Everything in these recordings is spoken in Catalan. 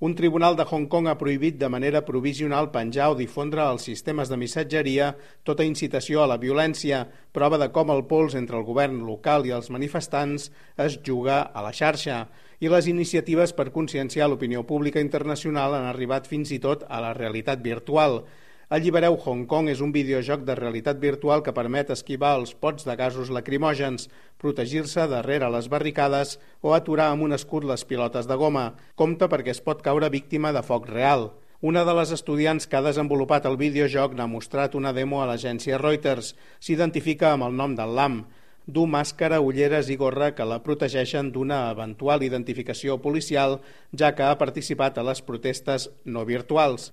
Un tribunal de Hong Kong ha prohibit de manera provisional penjar o difondre als sistemes de missatgeria tota incitació a la violència, prova de com el pols entre el govern local i els manifestants es juga a la xarxa. I les iniciatives per conscienciar l'opinió pública internacional han arribat fins i tot a la realitat virtual. Allibereu Hong Kong és un videojoc de realitat virtual que permet esquivar els pots de gasos lacrimògens, protegir-se darrere les barricades o aturar amb un escut les pilotes de goma. Compte perquè es pot caure víctima de foc real. Una de les estudiants que ha desenvolupat el videojoc n'ha mostrat una demo a l'agència Reuters. S'identifica amb el nom del LAM. Du màscara, ulleres i gorra que la protegeixen d'una eventual identificació policial, ja que ha participat a les protestes no virtuals.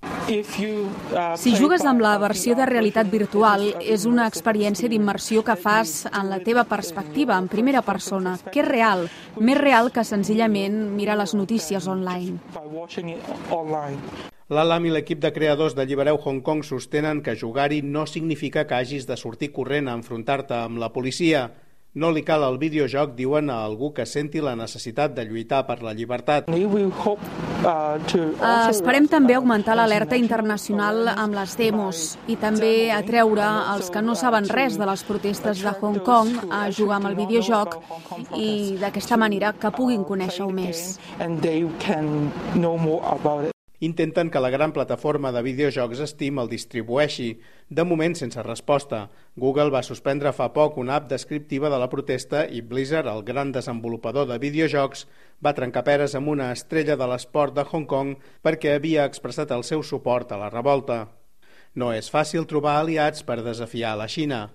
Si jugues amb la versió de realitat virtual, és una experiència d'immersió que fas en la teva perspectiva, en primera persona, que és real, més real que senzillament mirar les notícies online. L'Alam i l'equip de creadors d'Allibereu Hong Kong sostenen que jugar-hi no significa que hagis de sortir corrent a enfrontar-te amb la policia. No li cal el videojoc, diuen, a algú que senti la necessitat de lluitar per la llibertat. Esperem també augmentar l'alerta internacional amb les demos i també atreure els que no saben res de les protestes de Hong Kong a jugar amb el videojoc i d'aquesta manera que puguin conèixer-ho més. Intenten que la gran plataforma de videojocs Steam el distribueixi, de moment sense resposta. Google va suspendre fa poc una app descriptiva de la protesta i Blizzard, el gran desenvolupador de videojocs, va trencar peres amb una estrella de l'esport de Hong Kong perquè havia expressat el seu suport a la revolta. No és fàcil trobar aliats per desafiar la Xina.